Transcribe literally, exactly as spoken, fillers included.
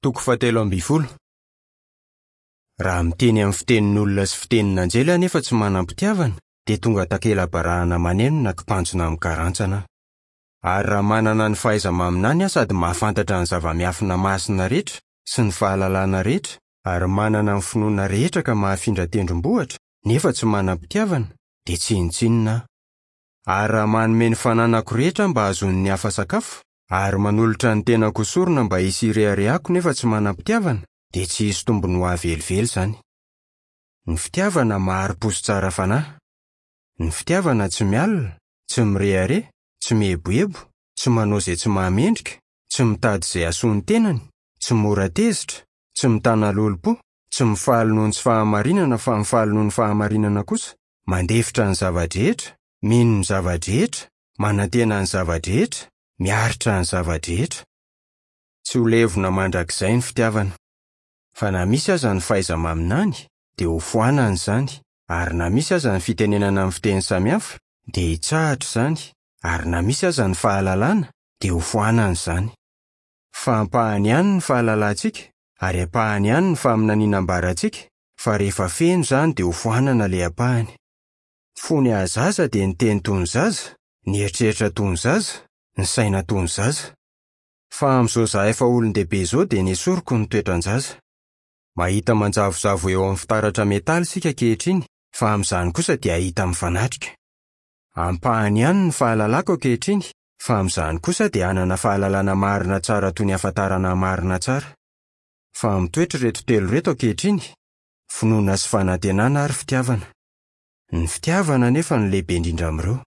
Toko fahatelo ambin'ny folo. Raha miteny amin'ny fitenin'olona sy fitenin'anjely aho nefa tsy manam-pitiavana, dia tonga takela-barahana maneno na kipantsona amin'ny karantsana aho. Ary raha manana ny fahaiza-maminany aho sady mahafantatra ny zava-miafina masina rehetra sy ny fahalalana rehetra, ary manana ny finoana rehetra ka mahafindra tendrombohitra, nefa tsy manam-pitiavana, dia tsinontsinona aho. Ary raha manome ny fananako rehetra mba hahazoan'ny hafa sakafo, ary manolotra ny tenako ho sorona mba hisy hireharehako nefa tsy manam-pitiavana, dia tsy hisy tombony ho ahy velively izany. Ny fitiavana mahari-po sy tsara fanahy. Ny fitiavana tsy mialona, tsy mirehareha, tsy mieboebo, tsy manao izay tsy mahamendrika, tsy mitady izay hahasoa ny tenany, tsy mora tezitra, tsy mitana lolompo, tsy mifaly noho ny tsy fahamarinana fa mifaly noho ny fahamarinana kosa, mandefitra ny zava-drehetra, mino ny zava-drehetra, manantena ny zava-drehetra, miaritra ny zava-drehetra. Tsy ho levona mandrakizay ny fitiavana. Fa na misy aza ny fahaiza-maminany, dia ho foanana izany, ary na misy aza ny fitenenana amin'ny fiteny samihafa, dia hitsahatra izany, ary na misy aza ny fahalalana, dia ho foanana izany. Fa ampahany ihany ny fahalalantsika, ary ampahany ihany ny faminaniana ambarantsika, fa rehefa feno izany dia ho foanana ilay ampahany. Fony aho zaza dia niteny toy ny zaza, nieritreritra toy ny zaza, nisaina toy ny zaza. Fa amin'izao izaho efa olon-dehibe izao dia nesoriko ny toetran-jaza. Mahita manjavozavo eo amin'ny fitaratra metaly isika ankehitriny, fa amin'izany kosa dia hahita mifanatrika. Ampahany ihany ny fahalalako ankehitriny, fa amin'izany kosa dia hanana fahalalana marina tsara toy ny ahafantarana marina tsara. Fa mitoetra ireto telo ireto ankehitriny: finoana sy fanantenana ary fitiavana. Ny fitiavana anefa no lehibe indrindra amin'ireo.